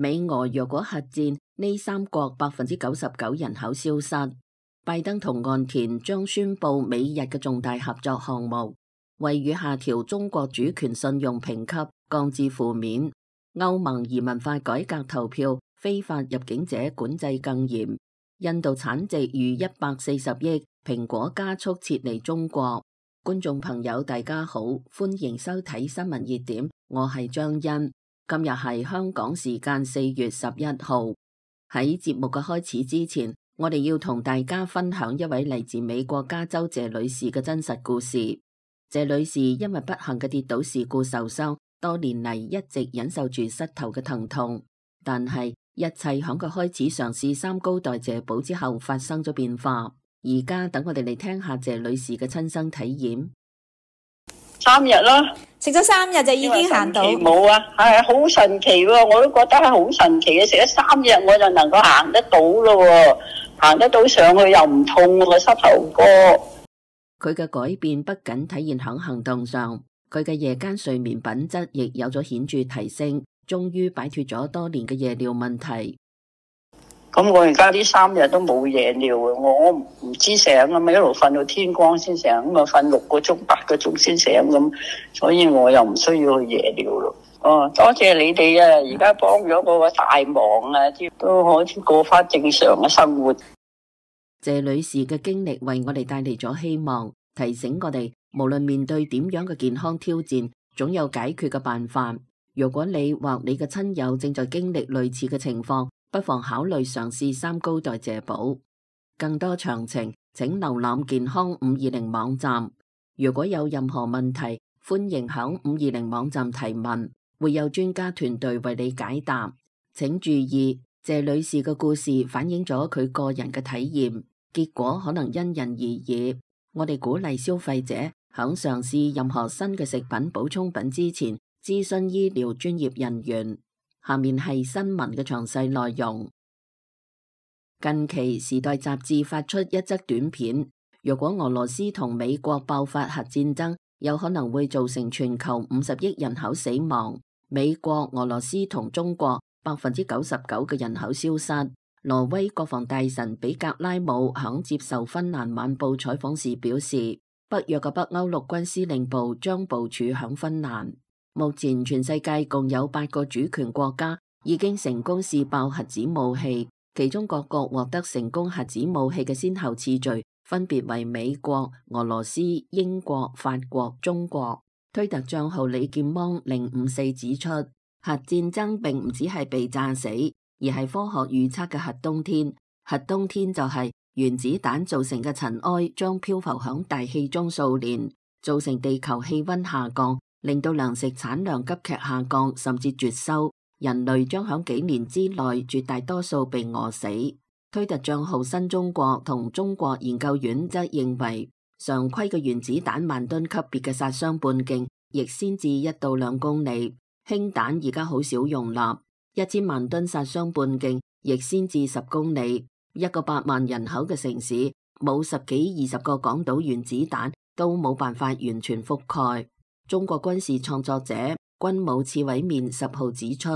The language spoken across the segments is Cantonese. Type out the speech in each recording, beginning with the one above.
美俄若果核戰，呢三國99%人口消失。拜登同岸田將宣布美日嘅重大合作項目，惠譽下調中國主權信用評級，降至負面。歐盟移民法改革投票，非法入境者管制更嚴。印度產值逾140億，蘋果加速撤離中國。觀眾朋友大家好，歡迎收睇新聞熱點，我係張欣。今日係香港時間4月11號。喺節目嘅開始之前，我哋要同大家分享一位嚟自美國加州謝女士嘅真實故事。謝女士因為不幸嘅跌倒事故受傷，多年嚟一直忍受住膝頭嘅疼痛，但係一切響佢開始嘗試三高代謝寶之後發生咗變化。而家等我哋嚟聽下謝女士嘅親身體驗。3日咯，食咗3日就已經行到。冇啊，係好神奇喎！我都覺得係好神奇嘅，食咗3日我就能夠行得到咯，行得到上去又唔痛個膝頭哥。佢嘅改變不僅體現響行動上，佢嘅夜間睡眠品質亦有咗顯著提升，終於擺脫咗多年嘅夜尿問題。咁我而家呢3日都冇夜尿啊！我唔知醒啊嘛，一路瞓到天光先醒，咁啊瞓6個鐘、8個鐘先醒咁，所以我又唔需要去夜尿咯。哦，多謝你哋啊！而家幫咗我個大忙啊，都可以過翻正常嘅生活。謝女士嘅經歷為我哋帶嚟咗希望，提醒我哋無論面對點樣嘅健康挑戰，總有解決嘅辦法。如果你或你嘅親友正在經歷類似嘅情況，不妨考慮嘗試三高代謝寶。更多詳情請瀏覽健康520網站。如果有任何問題，歡迎響520網站提問，會有專家團隊為你解答。請注意，謝女士嘅故事反映咗佢個人嘅體驗，結果可能因人而異。我哋鼓勵消費者響嘗試任何新嘅食品補充品之前，諮詢醫療專業人員。下面係新聞嘅詳細內容。近期《時代》雜誌發出一則短片，如果俄羅斯同美國爆發核戰爭，有可能會造成全球50億人口死亡。美國、俄羅斯同中國99%嘅人口消失。挪威國防大臣比格拉姆響接受芬蘭晚報採訪時表示，北約嘅北歐陸軍司令部將部署響芬蘭。目前全世界共有8個主權國家已經成功試爆核子武器，其中各國獲得成功核子武器嘅先後次序分別為美國、俄羅斯、英國、法國、中國。推特賬號李劍芒054指出，核戰爭並唔只係被炸死，而係科學預測嘅核冬天。核冬天就係原子彈造成嘅塵埃將漂浮響大氣中數年，造成地球氣溫下降，令到糧食產量急劇下降，甚至絕收，人類將響幾年之內絕大多數被餓死。推特賬號新中國同中國研究院則認為，常規嘅原子彈萬噸級別嘅殺傷半徑亦先至1到2公里，氫彈而家好少容納1000萬噸殺傷半徑亦先至10公里。一個8萬人口嘅城市，冇10幾20個港島原子彈都冇辦法完全覆蓋。中國軍事創作者軍武刺蝟面10號指出，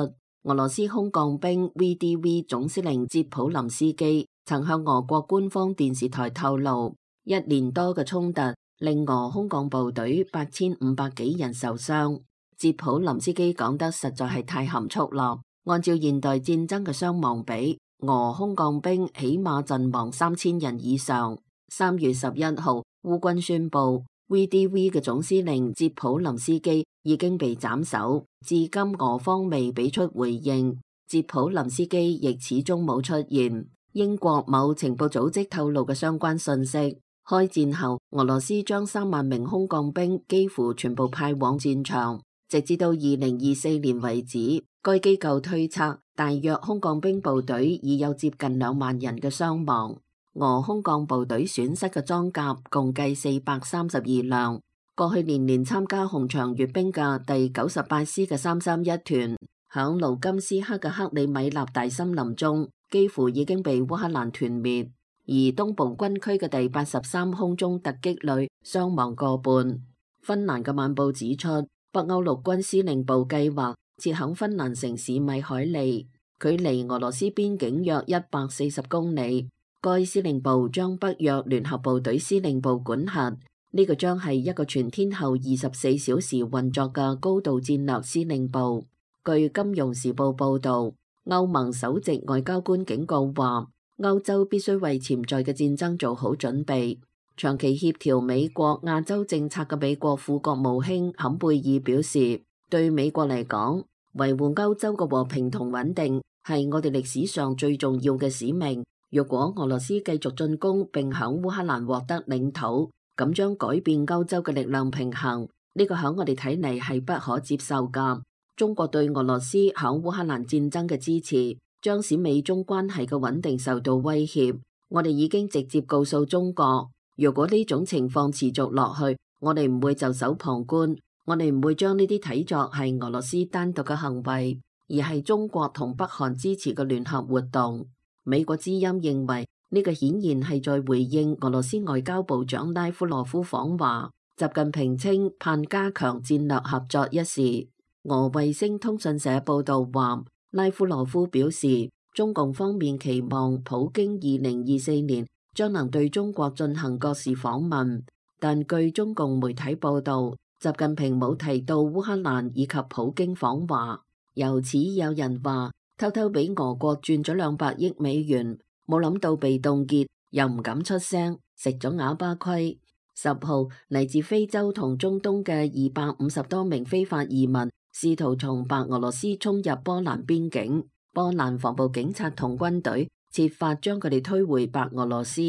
俄羅斯空降兵 VDV 總司令捷普林斯基曾向俄國官方電視台透露，1年多嘅衝突令俄空降部隊8500幾人受傷。捷普林斯基講得實在係太含蓄啦。按照現代戰爭嘅傷亡比，俄空降兵起碼陣亡3000人以上。3月11號，烏軍宣布VDV 嘅總司令捷普林斯基已經被斬首，至今俄方未俾出回應。捷普林斯基亦始終冇出現。英國某情報組織透露嘅相關信息，開戰後俄羅斯將3萬名空降兵幾乎全部派往戰場，直至到2024年為止，該機構推測大約空降兵部隊已有接近2萬人嘅傷亡。俄空降部隊損失嘅裝甲共計432輛。過去年年參加紅場閱兵嘅第98師嘅331團，響盧甘斯克嘅克里米納大森林中，幾乎已經被烏克蘭團滅。而東部軍區嘅第83空中突擊旅傷亡過半。芬蘭嘅晚報指出，北歐陸軍司令部計劃設響芬蘭城市米海利。距離俄羅斯邊境約140公里。該司令部將北約聯合部隊司令部管轄，呢個將係一個全天候24小時運作嘅高度戰略司令部。據《金融時報》報導，歐盟首席外交官警告話，歐洲必須為潛在嘅戰爭做好準備。長期協調美國亞洲政策嘅美國副國務卿坎貝爾表示，對美國嚟講，維護歐洲嘅和平同穩定係我哋歷史上最重要嘅使命。若果俄羅斯繼續進攻並響烏克蘭獲得領土，咁將改變歐洲嘅力量平衡，呢個響我哋睇嚟係不可接受㗎。中國對俄羅斯響烏克蘭戰爭嘅支持，將使美中關係嘅穩定受到威脅。我哋已經直接告訴中國，如果呢種情況持續落去，我哋唔會袖手旁觀，我哋唔會將呢啲睇作係俄羅斯單獨嘅行為，而係中國同北韓支持嘅聯合活動。美國之音認為呢個顯然係在回應俄羅斯外交部長拉夫羅夫訪華，習近平稱盼加強戰略合作一事。俄衛星通訊社報道話，拉夫羅夫表示，中共方面期望普京2024年將能對中國進行國事訪問，但據中共媒體報道，習近平冇提到烏克蘭以及普京訪華。由此有人話，偷偷俾俄國轉咗200億美元，冇諗到被凍結，又唔敢出聲，食咗啞巴虧。10號嚟自非洲同中東嘅250多名非法移民試圖從白俄羅斯衝入波蘭邊境，波蘭防暴警察同軍隊設法將佢哋推回白俄羅斯。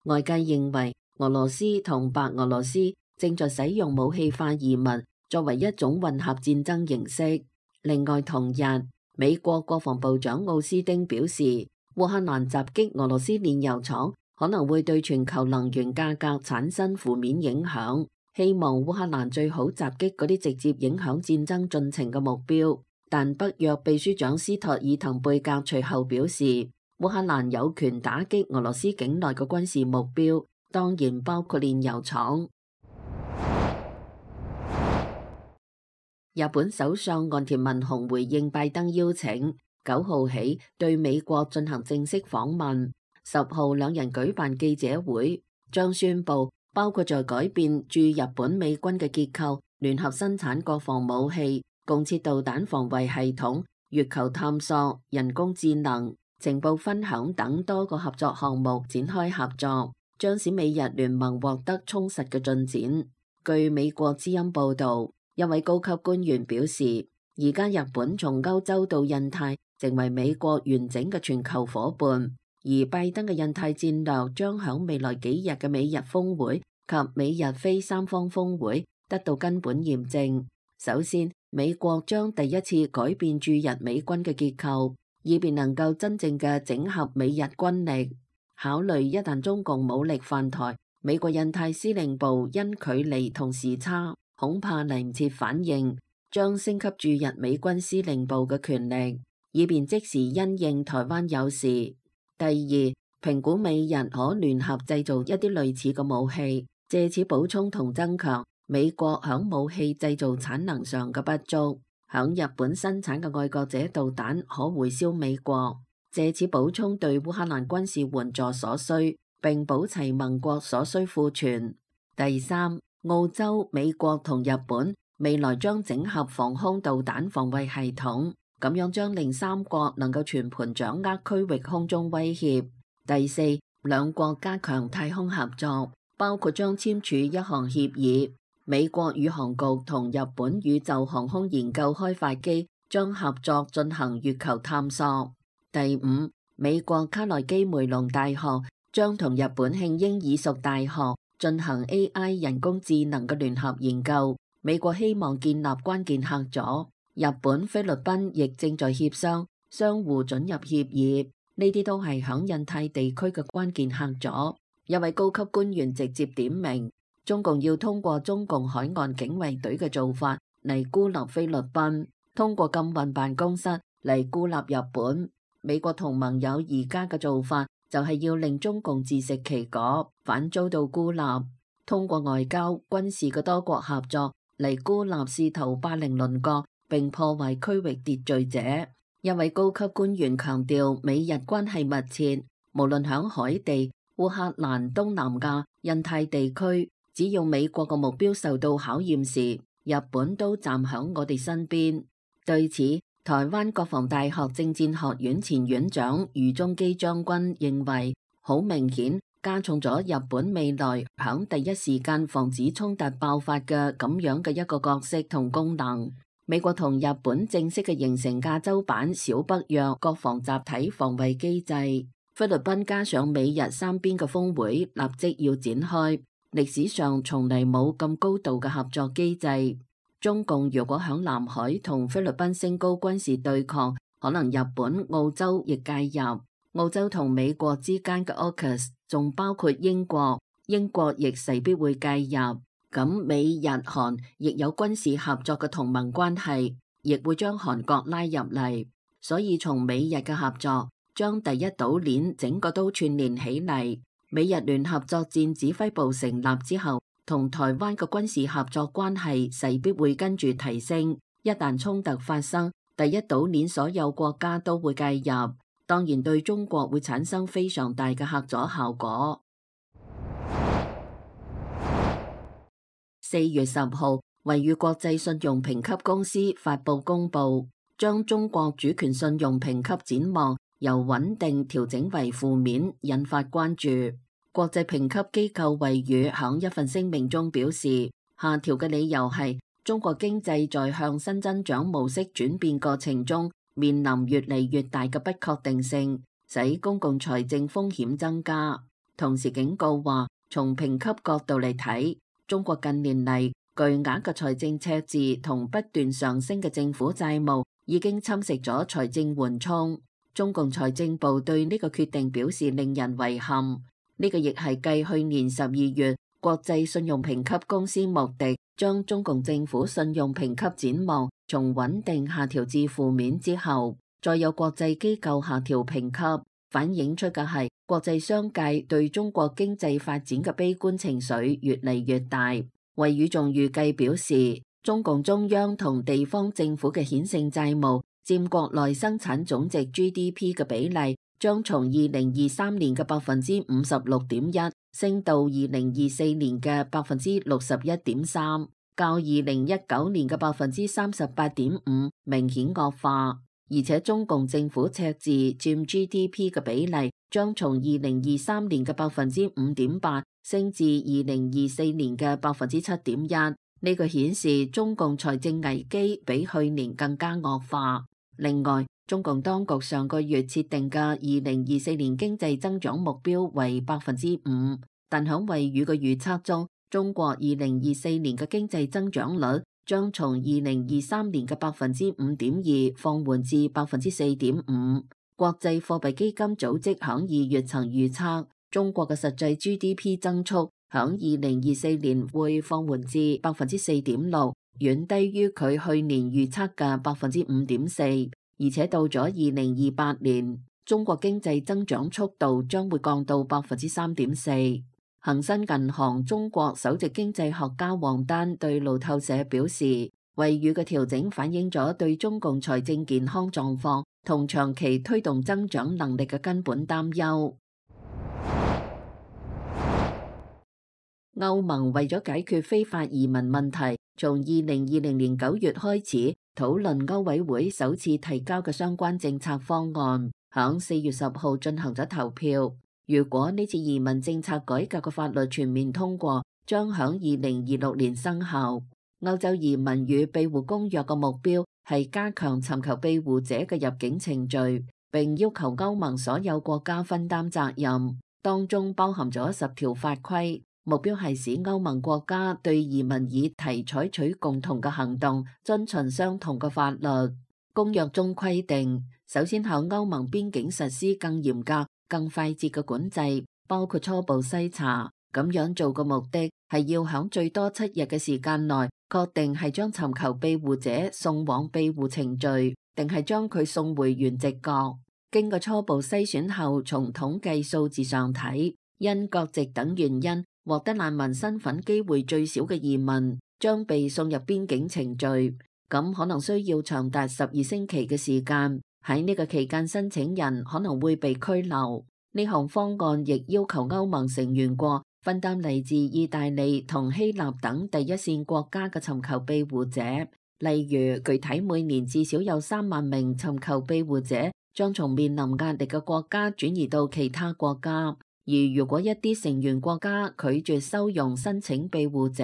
外界認為俄羅斯同白俄羅斯正在使用武器化移民作為一種混合戰爭形式。另外同日，美國國防部長奧斯汀表示，烏克蘭襲擊俄羅斯煉油廠可能會對全球能源價格產生負面影響，希望烏克蘭最好襲擊嗰啲直接影響戰爭進程嘅目標。但北約秘書長斯托爾滕貝格隨後表示，烏克蘭有權打擊俄羅斯境內嘅軍事目標，當然包括煉油廠。日本首相岸田文雄回應拜登邀請，9號起對美國進行正式訪問。10號兩人舉辦記者會，將宣布包括在改變駐日本美軍嘅結構、聯合生產國防武器、共設導彈防衛系統、月球探索、人工智能、情報分享等多個合作項目展開合作，將使美日聯盟獲得充實嘅進展。據美國之音報導，一位高級官員表示，而家日本從歐洲到印太成為美國完整嘅全球夥伴，而拜登嘅印太戰略將響未來幾日嘅美日峰會及美日非三方峰會得到根本驗證。首先，美國將第一次改變駐日美軍嘅結構，以便能夠真正嘅整合美日軍力。考慮一旦中共武力犯台，美國印太司令部因距離同時差，恐怕嚟唔切反應，將升級駐日美軍司令部嘅權力，以便即時因應台灣有事。第二，評估美日可聯合製造一啲類似嘅武器，借此補充同增強美國響武器製造產能上嘅不足。響日本生產嘅愛國者導彈可回銷美國，借此補充對烏克蘭軍事援助所需，並補齊盟國所需庫存。第三，澳洲、美國同日本未來將整合防空導彈防衛系統，咁樣將令三國能夠全盤掌握區域空中威脅。第四，兩國加強太空合作，包括將簽署一項協議，美國宇航局同日本宇宙航空研究開發機將合作進行月球探索。第五，美國卡內基梅隆大學將同日本慶應義塾大學進行 AI 人工智能嘅聯合研究，美國希望建立關鍵合作，日本、菲律賓亦正在協商相互准入協議，呢啲都係響印太地區嘅關鍵合作。一位高級官員直接點名，中共要通過中共海岸警衛隊嘅做法嚟孤立菲律賓，通過禁運辦公室嚟孤立日本。美國同盟友而家嘅做法就係要令中共自食其果，反遭到孤立，通過外交、軍事嘅多國合作嚟孤立試圖霸凌鄰國並破壞區域秩序者。一位高級官員強調，美日關係密切，無論響海地、烏克蘭、東南亞、印太地區，只要美國嘅目標受到考驗時，日本都站響我哋身邊。對此，台灣國防大學政戰學院前院長余宗基將軍認為，好明顯加重咗日本未來響第一時間防止衝突爆發嘅咁樣嘅一個角色同功能。美國同日本正式嘅形成亞洲版小北約國防集體防衛機制，菲律賓加上美日三邊嘅峰會立即要展開，歷史上從嚟冇咁高度嘅合作機制。中共如果響南海同菲律賓升高軍事對抗，可能日本、澳洲亦介入。澳洲同美國之間嘅 AUKUS 仲包括英國，英國亦勢必會介入。咁美日韓亦有軍事合作嘅同盟關係，亦會將韓國拉入嚟。所以從美日嘅合作，將第一島鏈整個都串聯起嚟。美日聯合作戰指揮部成立之後，同台灣嘅軍事合作關係勢必會跟住提升。一旦衝突發生，第一島鏈所有國家都會介入，當然對中國會產生非常大嘅嚇阻效果。4月10號，惠譽國際信用評級公司發布公佈，將中國主權信用評級展望由穩定調整為負面，引發關注。國際評級機構惠譽響一份聲明中表示，下調嘅理由係中國經濟在向新增長模式轉變過程中面臨越嚟越大嘅不確定性，使公共財政風險增加。同時警告話，從評級角度嚟睇，中國近年嚟巨額嘅財政赤字同不斷上升嘅政府債務已經侵蝕咗財政緩衝。中共財政部對呢個決定表示令人遺憾。呢個亦係繼去年12月國際信用評級公司穆迪將中共政府信用評級展望從穩定下調至負面之後，再有國際機構下調評級，反映出嘅係國際商界對中國經濟發展嘅悲觀情緒越嚟越大。惠譽仲預計表示，中共中央同地方政府嘅顯性債務佔國內生產總值 GDP 嘅比例將從2023年嘅56.1%升到2024年嘅61.3%，較2019年嘅38.5%明顯惡化。而且中共政府赤字佔 GDP 嘅比例將從2023年嘅5.8%升至2024年嘅7.1%。呢個顯示中共財政危機比去年更加惡化。另外，中共當局上個月設定嘅2024年經濟增長目標為5%，但響惠譽嘅預測中，中國2024年嘅經濟增長率將從2023年嘅5.2%放緩至4.5%。國際貨幣基金組織響2月曾預測，中國嘅實際 GDP 增速響2024年會放緩至4.6%，遠低於佢去年預測嘅5.4%。而且到咗2028年，中國經濟增長速度將會降到3.4%。恒生銀行中國首席經濟學家王丹對路透社表示，惠譽嘅調整反映咗對中共財政健康狀況同長期推動增長能力嘅根本擔憂。歐盟為咗解決非法移民問題，從2020年9月開始討論歐委會首次提交嘅相關政策方案，響4月10號進行咗投票。如果呢次移民政策改革嘅法律全面通過，將響2026年生效。歐洲移民與庇護公約嘅目標係加強尋求庇護者嘅入境程序，並要求歐盟所有國家分擔責任，當中包含咗10條法規。目標係使歐盟國家對移民議題採取共同嘅行動，遵循相同嘅法律。公約中規定，首先喺歐盟邊境實施更嚴格、更快捷嘅管制，包括初步篩查。咁樣做嘅目的係要喺最多7日嘅時間內，確定係將尋求庇護者送往庇護程序，定係將佢送回原籍國。經過初步篩選後，從統計數字上睇，因國籍等原因獲得難民身份機會最少嘅移民將被送入邊境程序，咁可能需要長達12星期嘅時間，喺呢個期間申請人可能會被拘留。呢項方案亦要求歐盟成員國分擔嚟自意大利同希臘等第一線國家嘅尋求庇護者，例如具體每年至少有3萬名尋求庇護者將從面臨壓力嘅國家轉移到其他國家，而如果一啲成員國家拒絕收容申請庇護者，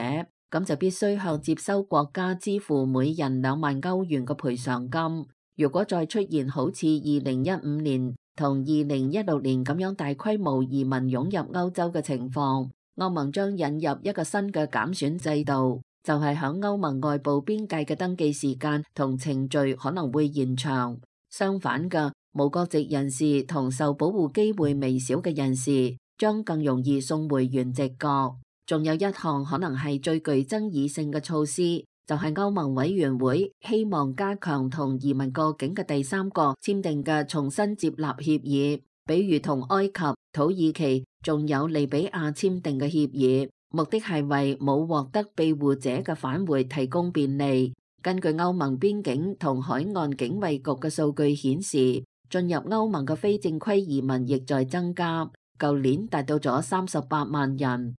咁就必須向接收國家支付每人2萬歐元嘅賠償金。如果再出現好似2015年同2016年咁樣大規模移民湧入歐洲嘅情況，歐盟將引入一個新嘅減損制度，就係響歐盟外部邊界嘅登記時間同程序可能會延長。相反嘅，無國籍人士同受保護機會微小嘅人士將更容易送回原籍國。仲有一項可能係最具爭議性嘅措施，就係歐盟委員會希望加強同移民過境嘅第三國簽訂嘅重新接納協議，比如同埃及、土耳其仲有利比亞簽訂嘅協議，目的係為冇獲得庇護者嘅返回提供便利。根據歐盟邊境同海岸警衛局嘅數據顯示，進入歐盟嘅非正規移民亦在增加，舊年達到咗38萬人。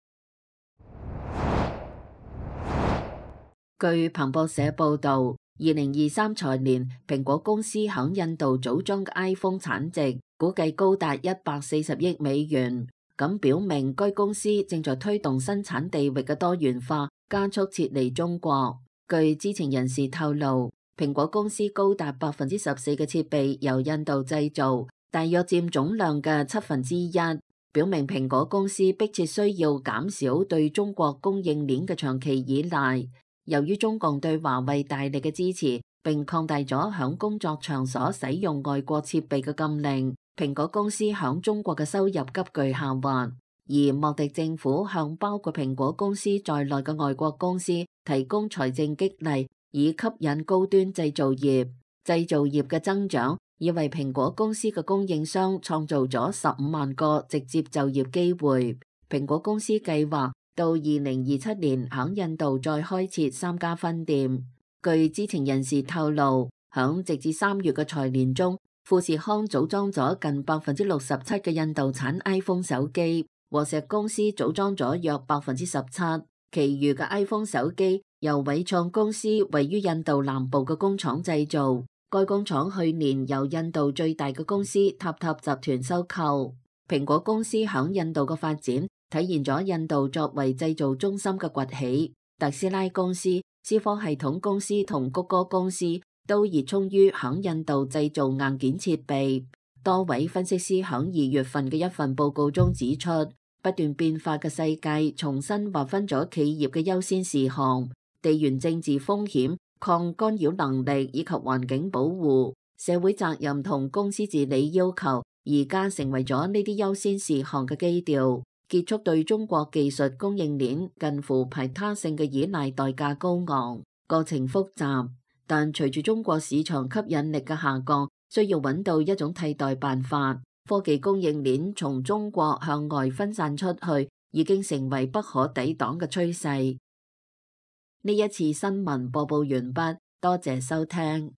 據彭博社報導，2023財年蘋果公司響印度組裝嘅 iPhone 產值估計高達140億美元，咁表明該公司正在推動生產地域嘅多元化，加速撤離中國。據知情人士透露，蘋果公司高達14%嘅設備由印度製造，大約佔總量嘅1/7，表明蘋果公司迫切需要減少對中國供應鏈嘅長期依賴。由於中共對華為大力嘅支持，並擴大咗響工作場所使用外國設備嘅禁令，蘋果公司響中國嘅收入急劇下滑。而莫迪政府向包括蘋果公司在內嘅外國公司提供財政激勵，以吸引高端製造業。製造業嘅增長已為蘋果公司嘅供應商創造咗15萬個直接就業機會。蘋果公司計劃到2027年響印度再開設3家分店。據知情人士透露，響直至3月嘅財年中，富士康組裝咗近67%嘅印度產 iPhone 手機，和碩公司組裝咗約17%，其餘嘅 iPhone 手機由偉創公司位於印度南部嘅工廠製造。該工廠去年由印度最大嘅公司塔塔集團收購。蘋果公司響印度嘅發展體現咗印度作為製造中心嘅崛起。特斯拉公司、思科系統公司同谷歌公司都熱衷於響印度製造硬件設備。多位分析師響2月份嘅一份報告中指出，不斷變化嘅世界重新劃分咗企業嘅優先事項，地緣政治風險、抗干擾能力以及環境保護、社會責任同公司治理要求，而家成為咗呢啲優先事項嘅基調。結束對中國技術供應鏈近乎排他性嘅依賴代價高昂，過程複雜，但隨住中國市場吸引力嘅下降，需要揾到一種替代辦法。科技供應鏈從中國向外分散出去，已經成為不可抵擋嘅趨勢。呢一次新聞播報完畢，多謝收聽。